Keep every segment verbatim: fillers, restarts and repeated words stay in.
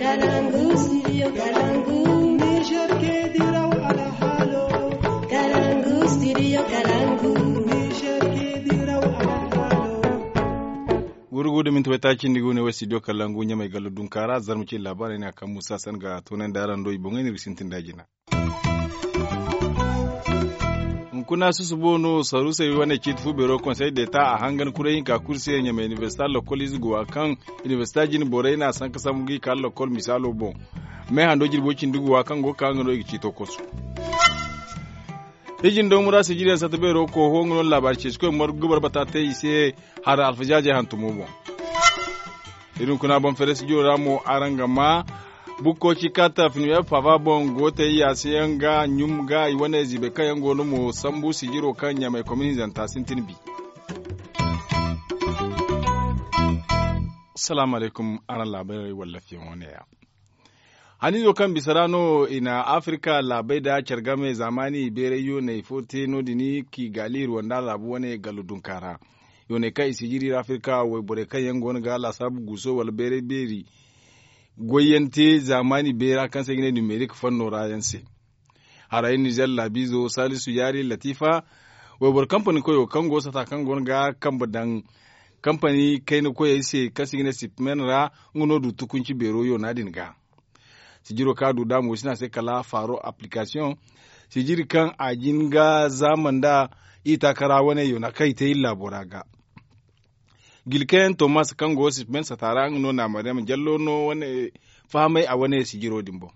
Kalangu, studio Kalangu. Niger ke diraw alhalo. Kalangu, studio Kalangu. Niger ke diraw alhalo. Gurugu da minti waytaaci nda i go ne wo studio Kalangu ɲamay gallo dunkaara zarma cine laabaarey no a kaŋ musa san ga toonandi araŋ do i boŋey no iri ga sintin da jina. Hunkuna susubo no saruusey wane ciiti fu beero konsey d'eta a hangan kuray hinka kulu se ɲamay inibersita lokol ize go a kaŋ inibersita jine borey n'a sanka sambu ga i ka lokol misaalo boŋ. Meehando jirbo cindi go a kaŋ go ga ka nga no i ga ciito kosu. Hijin daw mura sijiriyaŋ sata beero kooho nga no laabaari ceecikoy margu ga barbata te i se. Hara alfajaajey hantumo boŋ. Iri hunkuna boŋ fere studio ra mo araŋ ga ma bukko ci kata finiwe pava boŋ go te yaasa yaŋ ga ɲum ga i wane ziibay kaŋ yaŋ go no mo sambu sijiro kaŋ ɲamay komin hinzanta sintin bi. Salaamu alaykum. Araŋ laabaarey wallafiyaŋo ne ya. Haniizo kaŋ bisa ra no i na afirka laabey nda care game zaamaani beeray yooney fo te no- din kigali ruwanda laabu wane gallo dunka ra. Yooney kaŋ i sijiri iri afirka wayborey kaŋ yaŋ go no ga laasaabu guuso wala beeray beeri goyyaŋ te zaamaani beera kaŋ se i ga ne numerik fanno ra yaŋ se. Haray nizer laabiizo salisu yaari latifa wayboro kampani koyo kaŋ go sata kaŋ go no ga kambe daŋ kampani kayna koyey se kaŋ se i ga ne sipmen ra. Nga no du tukunci beero yoona din ga. Sijiro kaŋ a du da mo si ne a se kala faaro applikasiyoŋ sijiri kaŋ a jin ga zaama nda i taakara wane yoona kaŋ i te iri laabo ra ga. Gilkayaŋ tomas kaŋ go sipmen sata ra nga no na maryam jallo no wane fahamay a wane sijiro din boŋ.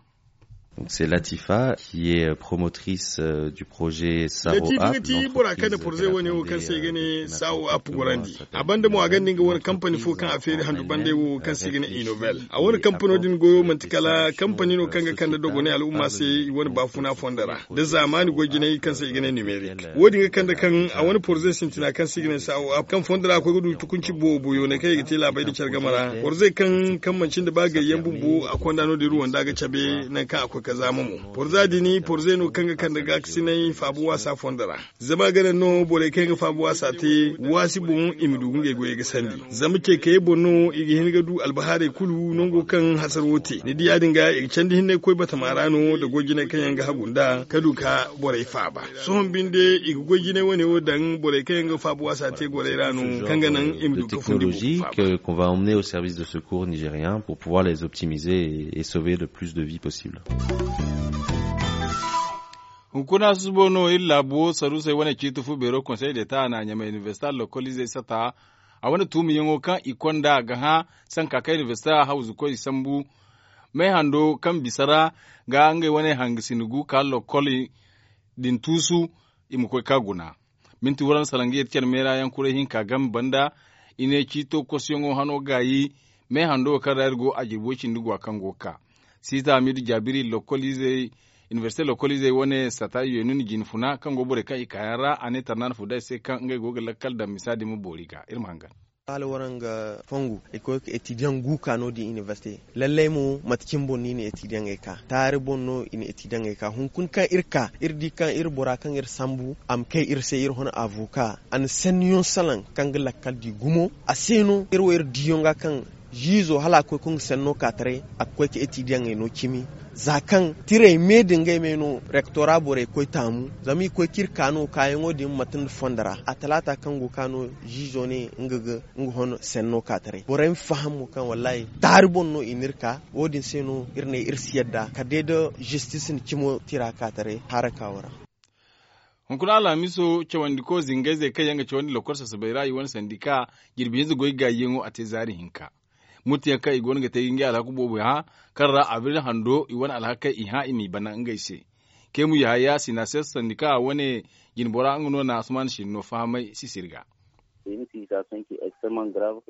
Donc c'est latifa qui est promotrice euh, du projet saro latifa nga ti bora kaŋ na porze wane wo kaŋ se i ga ne sawo app gorandi. A banda mo a ganda nga wane kampani fo kaŋ a feeri handu banda wo kaŋ se i ga ne inovel. A wane kampano din goyo manti kala kampani no kaŋ ga kande dogonay al'umma se i wane baafuna fondo ra da zaamaani goy jinay kaŋ se i ga ne numerik. Wo- din ga kande kaŋ a wane porze sintina kaŋ se i ga ne sawo app kaŋ fondo ra a koy ga du tukunci boobo yoonay kaŋ i ga te laabey da care game ra porze kaŋ kaŋ manci nda ba gayyaŋ bumbo a konda no- din ruwanda ga cabe nangu kaŋ a koy ga zaama mo. Porza din porze no kaŋ ga kande gaakasinay faabu waasa fondo ra. Zama a ga naŋ no borey kaŋ yaŋ ga faabu waasa te waasi boŋ i ma du ga ngey goyey ga sandi. Zama ceekayey boŋ no i ga hin ga du albahaarey kulu nango kaŋ hasaro te ni di ya- din ga i ga candi hinney koy batama ra no nda goy jinay kaŋ yaŋ ga hagu nd'a ka du ka borey faaba. Sohõ binde i ga goy jinay wane wo daŋ borey kaŋ yaŋ ga faabu waasa te gorey ra no kaŋ ga naŋ i ma du ka fundi bumbo faaba. Qu'on va emmener au service de secours nigérien pour pouvoir les optimiser et sauver le plus de vies possible. Hunkuna susubo no iri laabu wo saruusey wane ciiti fu beero konsey d'eta a na ɲamay inibersita lokoliizey sata. A wane tuumiyaŋo kaŋ i konda ga hã sanka kaŋ inibersita hawzukoy sambu meehando kaŋ bisa ra ga ngey wane hangasina gu ka lokol din tuusu i ma koy ka guna. Minti waransa salaŋ ga yeti care meera yaŋ kuray hinka game banda. I ne ciito kosuyaŋo hano gaayi meehando wo kaŋ ra iri go a jirbi way cindi gwa kaŋ go ga ka siita hamidu jaabiri lokoliizey inibersite lokoliizey wane sata yeenun jine funa kaŋ go borey kaŋ i kaayaŋ ra a ne tarnaana fo day se kaŋ ngey go ga lakkal daŋ misa din ma boori ga iri ma hangan. Hala waraŋ ga fongu i koy ga etidiyaŋ gu ka no- din inibersite. Lallay mo mate cine boŋ no i na etidiyaŋey ka taari boŋ no i na etidiyaŋey ka hunkuna kaŋ iri ka iri di kaŋ iri bora kaŋ iri sambu a ma kay iri se iri hon avoka a na sanniyaŋ salaŋ kaŋ ga lakkal di gumo a se no iri wo iri diyaŋ ga kaŋ ziizo hala a koy ga nga sanno ka taray a ga koy ga etidiyaŋey no cimi. Za kaŋ tirey me da ngey me no rektora borey koy taamu zama i koy ga iri ka no kaayaŋo din mate nda fondo ra a talaata kaŋ go ga ka no ziizo ne nga ga nga hon senno ka taray borey ma faham mo kaŋ wallahi taari boŋ no i n'iri ka. Wo- din se no iri ne iri si yadda kala day da zistis na cimo tira ka taray haraka wo ra. Hunkuna alhamiso cawandiko zingayzey kaŋ yaŋ ga cawandi lokol sasabey ra i wane sandika jirbi hinza goy gaayyaŋo a te zaari hinka. Murtiyaŋ kaŋ i go no ga te ga ngey alhaku boobo hã kaŋ ra abril hando i wane alhakey i hã i m'i bana ngey se. Kemu yahaya sinases sandika wane jinbora nga no na asuman sinno fahamay sisiri ga.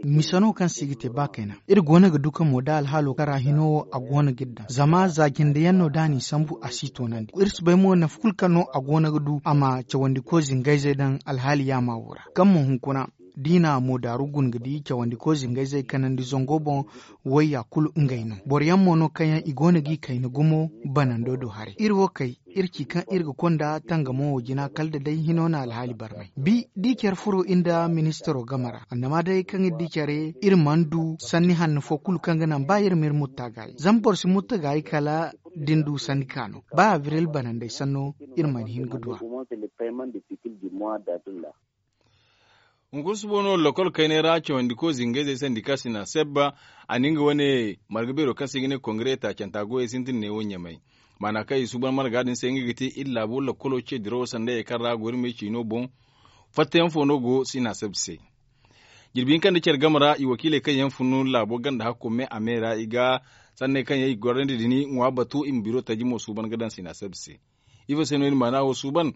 Misa no kaŋ se i ga te ba kayna iri goono ga du kaŋ mo da alhaalo kaŋ ra hino wo a goono ga iri daŋ zama za jindeyaŋ no da a n'i sambu a si toonandi iri si bay mo nafa kulu kaŋ no a goono ga du a ma cawandiko zingayzey daŋ alhaali yaama wo ra kaŋ mo hunkuna. Diina mo daaru guna ga di cawandiko zingayzey kanandi zango boŋ. Wayya kulu ngey no boro yaŋ mo no kaŋ yaŋ i go no g'i kayna gumo. Banando do haray iri wo kay iri ci kaŋ iri ga konda tangamo wo jina kala da day hino na alhaali barmay bi da i care furo iri nda ministaro game ra annama day kaŋ iri di care iri mana du sanni hanno fo kulu kaŋ ga naŋ ba iri ma iri mutta gaayi zama boro si mutta gaayi kala da ni du sanni ka no ba abril banandey sanno. Iri mana hin ga du a. Hunkuna suba no lakkol kaynay ra cawandi ko zingayzey sandi ka sina sebba. A na nga wane marga beero kaŋ se i ga ne kongare taacanta goyey sintin neewo ɲamay. Maana kaŋ i suuban marga din se nga ga te iri laabo lakkolo ce dirawo sanda ye kaŋ ra gorimey ciino boŋ. Fattayaŋ fo no go sina sebba se. Jirbi hinka nda care game ra i wakiiley kaŋ yaŋ funu laabo ganda hakko me a me ra i ga sanney kaŋ yaŋ i ga gorandi din ŋwa batu i ma biro taji mo suuban ga daŋ sina sebba se. Ifo se no iri maana wo suuban?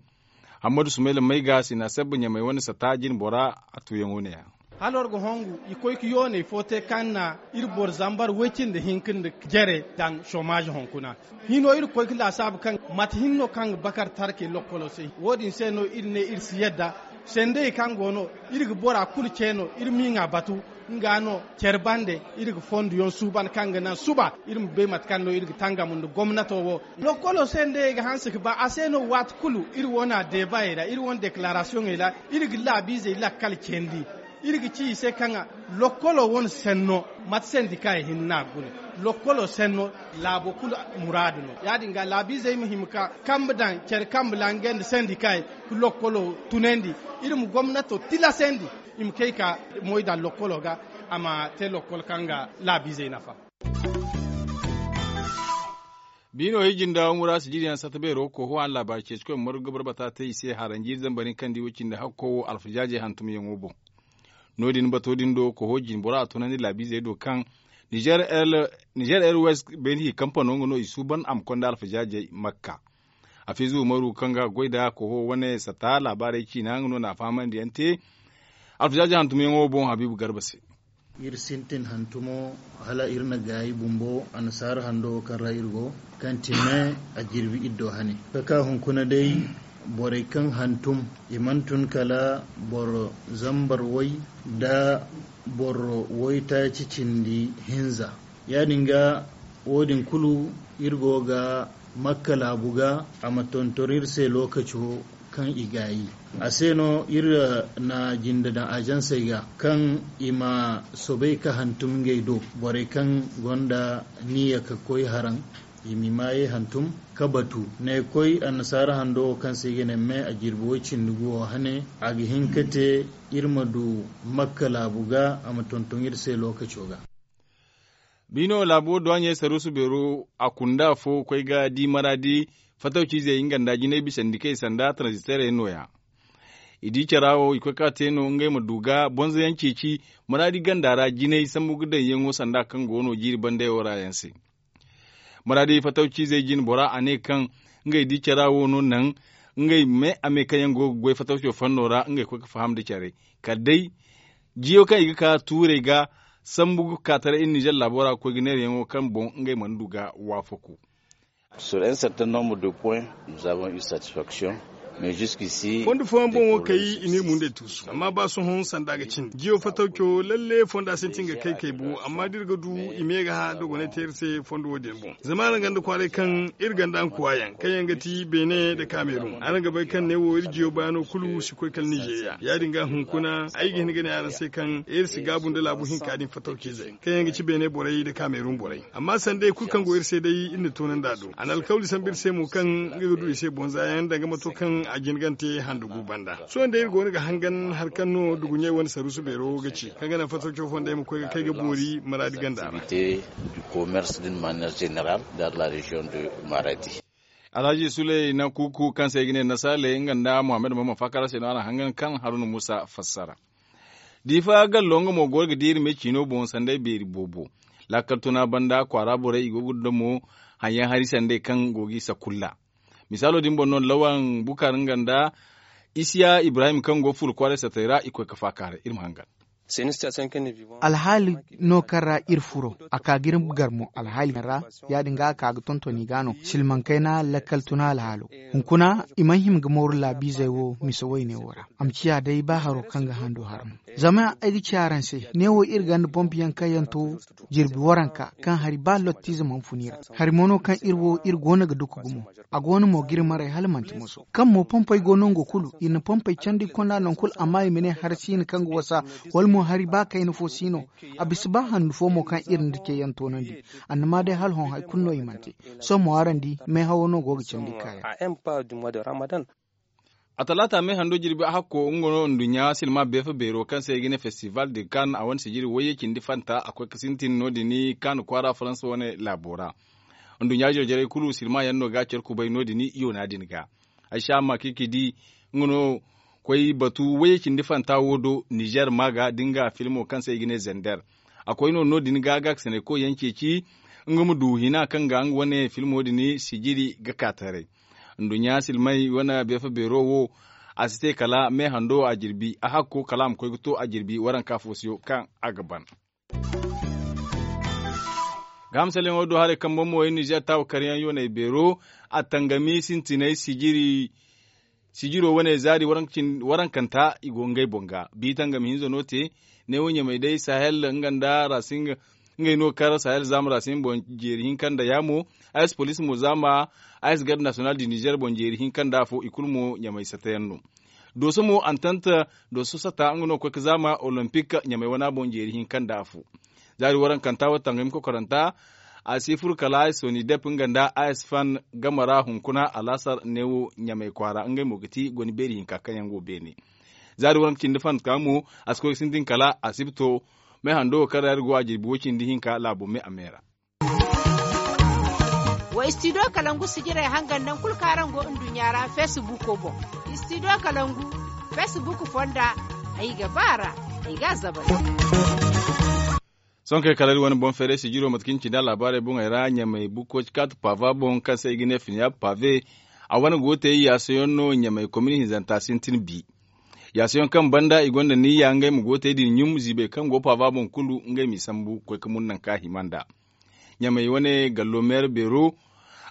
Hammadu sumayla may ga sina sebba ɲamay wane sata jine bora. A tuuyaŋo ne-ya. Hala war ga hongu i koy ga yooney fo te kaŋ na iri boro zambar woy cindi hinka nda jare daŋ somaaze hunkuna. Hino iri koy ga laasaabu kaŋ mate hinne no kaŋ ga bakar tarkey lokkolo se wo- din se no iri ne iri si yadda sendey kaŋ go no iri ga bora kulu ce no iri ma i ŋwa batu. Nga no care bande iri ga fonduyaŋ suuban kaŋ ga naŋ suba iri ma bay mate kaŋ no iri ga tangam nda gomnato wo. Lokkolo se nda ye ga hanse ga ba a se no waati kulu iri wane deebayey ra iri wane deklaarasiyoŋey ra iri ga laabiizey lakkal candi. Iri ga ci i se kaŋ lokkolo wane senno mate sendika ye hinne no a ga gune. Lokkolo senno laabo kulu muraadu no ya- din ga laabiizey ma hima ka kambe daŋ care kambe ra ngey nda sendika ye ga lokkolo tunandi. Iri ma gomnato tilasandi i ma kay ka moy daŋ lokkolo ga a ma te lokkol kaŋ ga laabiizey nafa. Biino ijinda wura sijiriyaŋ sata beero koho a na laabaari ceeci koy margu ga barbata te i se haranji zambarin kaŋ di wo cindi hakko wo alfajaaje hantumyaŋo boŋ. No- din bato din do koho jinbora a tunandi laabiizey do kaŋ nizer airways beeni hi kampano nga no i suuban a ma konda alfajaajey makka. Hafiizu umaru kaŋ ga goy nda koho wane sata laabaarey ciina nga no na a fahamandiyaŋ te. Alfajaaje hantumyaŋo boŋ habiibu garba se. Iri sintin hantumo hala iri na gaayi bumbo annasaara hando wo kaŋ ra iri go kaŋ ti me a jirbi iri do hane. Ka ka hunkuna day borey kaŋ hantum i mana tun kala boro zambar way nda boro waytaaci cindi hinza. Ya- din ga wo- din kulu iri go ga makka laabu ga a ma tonton iri se lookaco kaŋ i gaayi. A se no iri na jinde daŋ azansey ga kaŋ i ma soobay ka hantum ngey do borey kaŋ gonda niya ka koy haraŋ i ma i maayey hantum ka batu. Ne koy annasaara hando wo kaŋ se i ga ne me a jirbi way cindi gu wo hane a ga hin ka te iri ma du makka laabu ga a ma tonton iri se lookaco ga. Biino laabo duwaɲey saruusu beero a kunda afo koy ga di maraadi fatawciizey nga nda jinay bisandi kay sanda tranziterey no- ya. I di cara wo i koy ka te no ngey ma du ga bonzoyaŋ ceeci maraadi ganda ra jinay sambu ga daŋ yaŋo sanda kaŋ go no jiiri bandayo ra yaŋ se. Maraadi fatawciizey jine bora a ne kaŋ ngey di cara wo no naŋ ngey me a me kaŋ yaŋ go ga goy fatawco fanno ra ngey koy ga faham nda care kala day jiyo kaŋ i ga ka tuurey ga sambu ga ka taray iri nizer laabo ra ga koy ga neerayaŋo kaŋ boŋ ngey mana du ga waafaku. Sur un certain nombre de points nous avons eu satisfaction. Mais jusqu'ici fondo fooyaŋ boŋ wo kay i n'iri mundey tuusu amma ba sohõ sanda ga cindi jiyo fatawco lalle fonda sintin ga kay kay bo amma da iri ga du i me ga hã dogonay te iri se fondo wo- din boŋ. Zama araŋ ganda kwaaray kaŋ iri ganda nkuwa yaŋ kaŋ yaŋ ga ti beene nda kamerun araŋ ga bay kaŋ ne wo iri jiyo baano kulu si koy kala nizeeriya ya- din ga hunkuna ay ga hin ga ne araŋ se kaŋ iri si gaabu nda laabu hinka din fatawciizey kaŋ yaŋ ga ci beene borey nda kamerun borey. Amma sanda hari kulu kaŋ go iri se day iri na toonandi a do a na alkawli sambu iri se mo kaŋ nga ga du i se bonza yaŋ danga mato kaŋ a jin gante handa gu banda sohõ day iri go no ga hangan hari kaŋ no duguɲey wane saruusu beero ga ci kaŋ ga naŋ fattaco fondey ma koy ga kay ga boori maraadi ganda ra. Alhaji suley nankuku kaŋ se i ga ne nasaale nga nda muhammad mama faakara se no araŋ hangan kaŋ haruna muusa fassara. Diifa gallo nga mo goro ga di iri me ciino boŋ sanday beeri boobo. Laakal tuna banda kwaara borey i go ga damo haŋyaŋ hari sanday kaŋ go g'i sakulla. Misaalo din boŋ no lawan bukar nga nda isiya ibrahim kaŋ go fuula kwaaray satay ra i koy ga faakaaray iri ma hangan. Alhaali no kaŋ ra iri furo, a ka ga iri gar mo alhaali ra. Ya- din ga a ka ga tonton i ga no silmaŋ kayna lakkal tuna alhaalo. Hunkuna i mana hima ga mooru laabiizey wo mise wayne wo ra. A ma ciya day ba haro kaŋ ga hando har no. Zama ay ga ci araŋ se, neewo iri ganda bomb yaŋ kaŋ yaŋ to jirbi waranka kaŋ hari ba lottiize mana fun i ra. Hari mo no kaŋ iri wo iri go no ga duku gumo. A go no mo ga iri maray hala manti moso kaŋ mo pompey go nango kulu. Iri na pompey candi konda nangu kulu amma i ma ne hari siina kaŋ ga wasa, wala mo hari ba kayna fo si no. A bisa ba handu fo mo kaŋ iri nda ceeyaŋ toonandi. Annama day hala hõ hari kulu no i mana te. Sohõ mo araŋ di meehawo no go ga candi kaayaŋ. A talaata me hando jirbi a hakko nga no nduɲɲa silma beefa beero kaŋ se i ga ne festival de kan a wane sijiri wayye cindi fanta a koy ga sintin no- din kan kwaara faransa wane laabo ra. Nduɲɲa jarjarey kulu silma yaŋ no ga care kubay no- din yoona din ga. Ay si a ma kaŋ i ga di nga no koy batu wayye cindi fanta wo do nizer ma ga da nga filmo kaŋ se i ga ne zender. A koy no no- din ga ga ga sanay koy yaŋ ceeci nga ma du hina kaŋ ga nga wane filmo din sijiri ga ka taray. Nduɲɲa silmay wane beefa beero wo a si te kala me hando a jirbi a hakko kala a ma koy ga to a jirbi waranka foosiyo kaŋ a ga ban. Ga hamsaleŋo do haray kaŋ boŋ mo ay nizer taawa karyaŋ yoonay beero a tangami sintinay sijiri. Sijiro wane zaari warankanta i go ngey boŋ ga bi tangami hinza no te. Neewo ɲamay day sahel nga nda rasin ngey no kar sahel zaama rasin boŋ jeeri hinka nda yaamo. Ayes police mo zaama ayes garde national du nizer boŋ jeeri hinka nda afo i kulu mo ɲamay satayaŋ no. Dooso mo antanta dooso sata nga no koy ga zaama olympic ɲamay wana boŋ jeeri hinka nda afo. Zaari warankanta wo tangami kokoranta a si furo kala ayes soni dep nga nda ayes fan game ra hunkuna alaasar neewo ɲamay kwaara ngey mo ga ti goni beeri hinka kaŋ yaŋ go beene. Zaari waranka cindi fan ka mo a si koy ga sintin kala a si bi to. Me hando wo kaŋ ra iri go a jirbi wo- cindi hinka laabo me a me ra. Wa istidiyo kalangu sijirey hangan naŋ kulu kaŋ araŋ go nduɲɲa ra feesibuuko boŋ. Istidiyo kalangu feesibuuk fonda ay ga ba a ra ay ga a zabay. Sohõ kay kala iri wane boŋ feeray sijiro mate kaŋ cindi a laabaarey boŋey ra ɲamay bukkoci kaati paava boŋ kaŋ se i ga ne finya paave. A wane gootey yaasayaŋ no ɲamay komini hinzanta sintin bi. Yaasayaŋ kaŋ banda i gonda niyya ngey ma gootey din ɲum ziibey kaŋ go paava boŋ kulu ngey m'i sambu koy ga mun nangu kaŋ a hima nd'a. Ɲamay wane gallo meera beero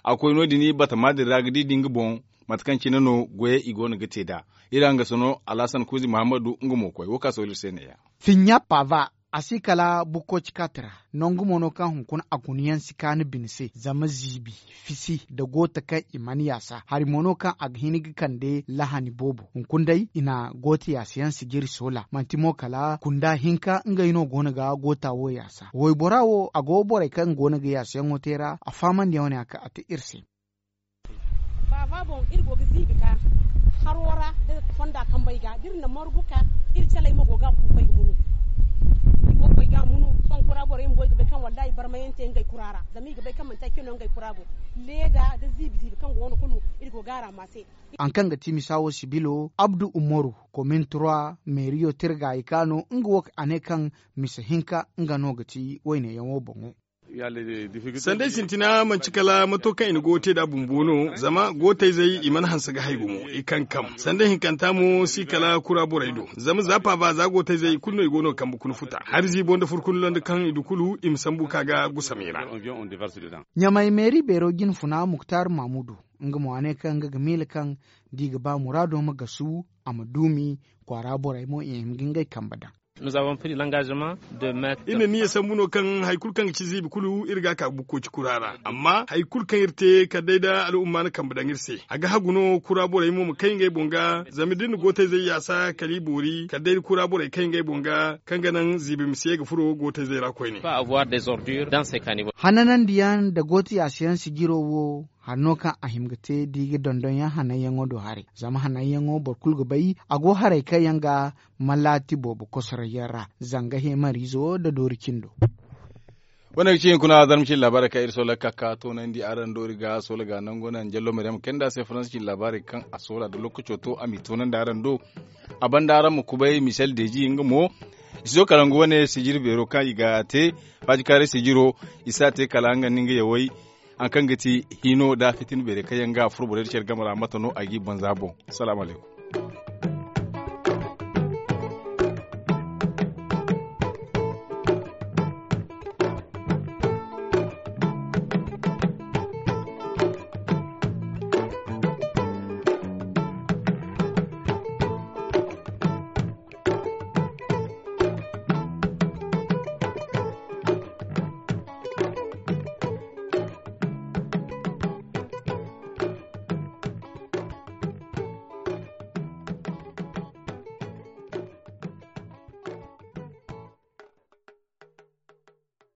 a koy no- din batama din ra ga di da nga boŋ mate kaŋ cine no goyey i go no ga te nd'a. Iri hangaso no alhasan kuuzi muhammadu nga mo koy wo kaŋ a sohõ iri se neeya. Finya paava a si kala bukkoci kaati ra. Nangu mo no kaŋ hunkuna a guna yaŋ si kaanu bine se zama ziibi fisi nda goota kaŋ i mana yaasa hari mo no kaŋ a ga hin ga kande lahani boobo hunkuna day i na goota yaasa yaŋ sijiri soola manti mo kala kunda hinka ngey no go no ga goota wo yaasa waybora wo a go borey kaŋ go no ga yaasa yaŋo te ra a fahamandi yaŋ wane a te iri se. Faava boŋ iri go ga ziibi ka haro ra da fonda kambey ga da iri na margu ka iri caley mo go ga kuukoy ga munu. I go ga koy ga munu sohõ kura borey bumbo i ga bay kaŋ wallahi barmayaŋ te ngey kura ra zama i ga bay kaŋ manti ay cine no ngey kura go. Leeda da ziibi ziibi kaŋ go wane kulu iri go ga a ra ma se. Haŋ kaŋ ga ti misa wo sibilo abdu umaru komin trois meeriyo tirga i ka no nga wo a ne kaŋ misa hinka nga no ga ti wayne yaŋo boŋo. Sanday sintina manti kala mato kaŋ i na go ga te nd'a bumbo no zama gootayzey i mana hanse ga hay gumo i kankam sanday hinkanta mo si kala kura borey do zama za paava za gootayzey i kulu no i go no ga kambe kuna futa hari ziibo nda furkun landa kaŋ i du kulu i ma sambu ka ga gusam i ra. Ɲamay meeri beero jinfuna muktar mamudu nga mo a ne kaŋ nga ga miila kaŋ da i ga ba muraado ma gasu a ma duumi kwaara borey mo i hima ga ngey kambe daŋ. Iri na niya sambu no kaŋ hari kulu kaŋ ga ci ziibi kulu iri ga a ka ga bukkoci kura ra amma hari kulu kaŋ iri te kala day da al'umma na kambe daŋ iri se a ga hagu no kura borey mo ma kay ngey boŋ ga zama da iri na gootayzey yaasa kala i boori kala day da kura borey kay ngey boŋ ga kaŋ ga naŋ ziibi ma si ye ga furo gootayzey ra koyne. Hananandiyaŋ nda gooto yaasa yaŋ sijiro wo hari no kaŋ a hima ga te da i ga dondonyaŋ hananyaŋo do haray zama hananyaŋo boro kulu ga bay a go haray kaŋ yaŋ ga malaati boobo kosoray yaŋ ra zanga heemariizo nda doori cindo. Wane ga ci hinkuna zarma cine laabaarey kaŋ iri soola ga ka ga toonandi araŋ do iri ga soola ga nangu naŋ jallo maryam kayna nda a se faransa cine laabaarey kaŋ a soola da lookaco to a m'i toonandi araŋ do. A banda araŋ ma kubay michel deji nga mo i si do kala nga wane sijiri beero kaŋ i ga te faajikaaray sijiro i si a te kala nga nda nga yawey. Haŋ kaŋ ga ti hino da fitina beerey kaŋ yaŋ ga a furo borey nda care game ra mate no a g'i banza boŋ. Salaamu alaykum.